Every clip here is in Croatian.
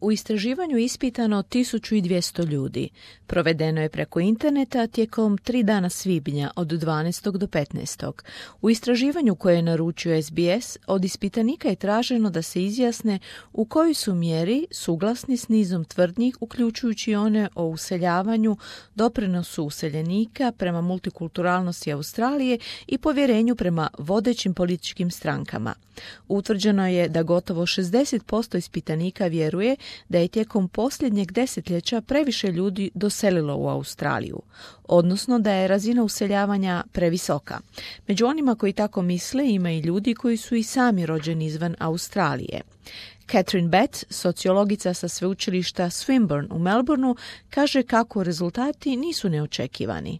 U istraživanju je ispitano 1200 ljudi. Provedeno je preko interneta tijekom 3 dana svibnja od 12. do 15. U istraživanju koje je naručio SBS od ispitanika je traženo da se izjasne u kojoj su mjeri suglasni s nizom tvrdnji, uključujući one o useljavanju, doprinosu useljenika prema multikulturalnosti Australije i povjerenju prema vodećim političkim strankama. Utvrđeno je da gotovo 60% ispitanika vjeruje da je tijekom posljednjeg desetljeća previše ljudi doselilo u Australiju, odnosno da je razina useljavanja previsoka. Među onima koji tako misle ima i ljudi koji su i sami rođeni izvan Australije. Catherine Betts, sociologica sa sveučilišta Swinburne u Melbourneu, kaže kako rezultati nisu neočekivani.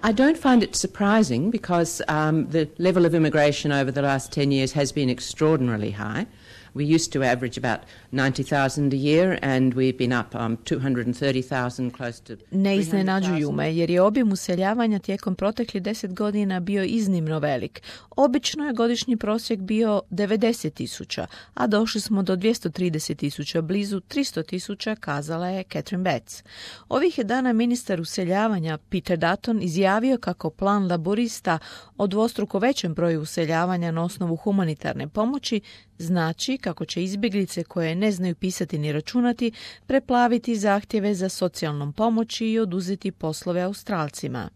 I don't find it surprising because the level of immigration over the last 10 years has been extraordinarily high. We used to average about 90,000 a year and we've been up 230,000 close to 300,000. Ne iznenađuju me jer je obim useljavanja tijekom proteklih 10 godina bio iznimno velik. Obično je godišnji prosjek bio 90,000, a došli smo do 230,000, blizu 300,000, kazala je Catherine Betts. Ovih je dana ministar useljavanja Peter Dutton izjavio kako plan laborista o dvostruko većem broju useljavanja na osnovu humanitarne pomoći znači kako će izbjeglice koje ne znaju pisati ni računati preplaviti zahtjeve za socijalnom pomoći i oduzeti poslove Australcima.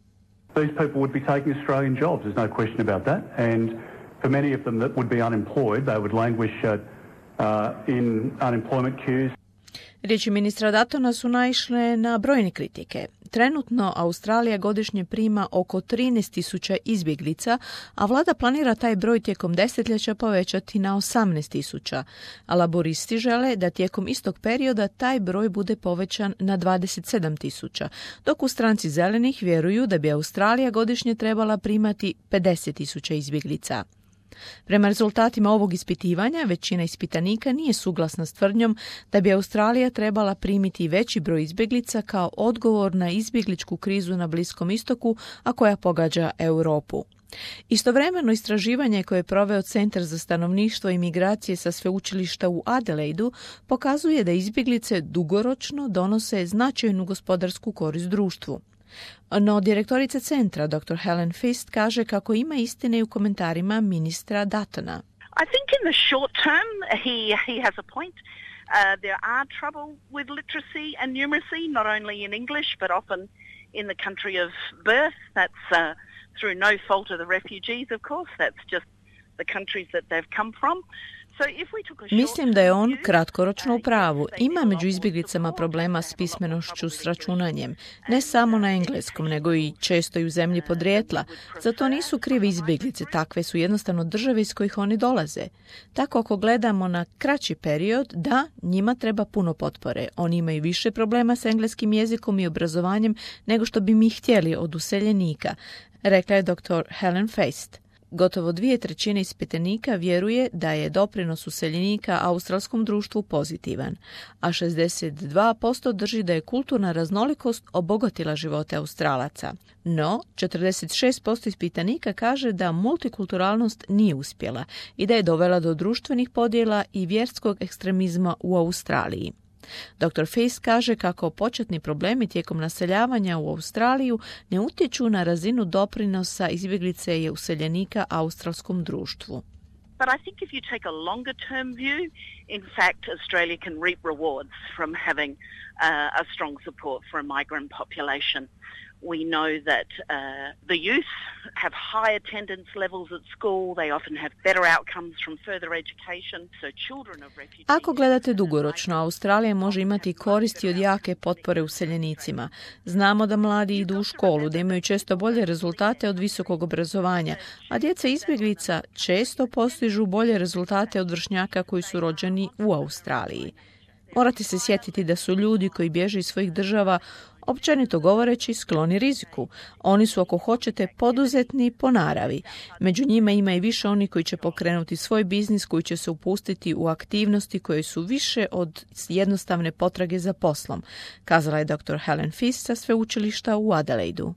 These people would be taking Australian jobs, there's no question about that, and for many of them that would be unemployed, they would languish in unemployment queues. Riječi ministra Duttona su naišle na brojne kritike. Trenutno Australija godišnje prima oko 13,000 izbjeglica, a vlada planira taj broj tijekom desetljeća povećati na 18,000, a laboristi žele da tijekom istog perioda taj broj bude povećan na 27,000, dok u stranci zelenih vjeruju da bi Australija godišnje trebala primati 50,000 izbjeglica. Prema rezultatima ovog ispitivanja, većina ispitanika nije suglasna s tvrdnjom da bi Australija trebala primiti veći broj izbjeglica kao odgovor na izbjegličku krizu na Bliskom istoku, a koja pogađa Europu. Istovremeno istraživanje koje je proveo Centar za stanovništvo i migracije sa sveučilišta u Adelaidu pokazuje da izbjeglice dugoročno donose značajnu gospodarsku korist društvu. No direktorica centra, dr. Helen Fist, kaže kako ima istine u komentarima ministra Duttona. I think in the short term he has a point. There are trouble with literacy and numeracy, not only in English but often in the country of birth. That's through no fault of the refugees, of course. That's just the countries that they've come from. Mislim da je on kratkoročno u pravu. Ima među izbjeglicama problema s pismenošću, s računanjem. Ne samo na engleskom, nego i često i u zemlji podrijetla. Zato nisu krive izbjeglice, takve su jednostavno države iz kojih oni dolaze. Tako ako gledamo na kraći period, da, njima treba puno potpore. Oni imaju više problema s engleskim jezikom i obrazovanjem nego što bi mi htjeli od useljenika, rekla je dr. Helen Feist. Gotovo 2/3 ispitanika vjeruje da je doprinos useljenika australskom društvu pozitivan, a 62% drži da je kulturna raznolikost obogatila živote Australaca. No, 46% ispitanika kaže da multikulturalnost nije uspjela i da je dovela do društvenih podjela i vjerskog ekstremizma u Australiji. Dr. Feist kaže kako početni problemi tijekom naseljavanja u Australiju ne utječu na razinu doprinosa izbjeglice i useljenika australskom društvu. But I think if you take a longer term view, in fact, Australia can reap rewards from having a strong support for a migrant population. We know that the youth have high attendance levels at school. They often have better outcomes from further education. So children of refugees... Ako gledate dugoročno, Australija može imati koristi od jake potpore useljenicima. Znamo da mladi idu u školu, da imaju često bolje rezultate od visokog obrazovanja, a djeca izbjeglica često postižu bolje rezultate od vršnjaka koji su rođeni u Australiji. Morate se sjetiti da su ljudi koji bježe iz svojih država općenito govoreći skloni riziku. Oni su, ako hoćete, poduzetni po naravi. Među njima ima i više oni koji će pokrenuti svoj biznis, koji će se upustiti u aktivnosti koje su više od jednostavne potrage za poslom, kazala je dr. Helen Fist sa sveučilišta u Adelaidu.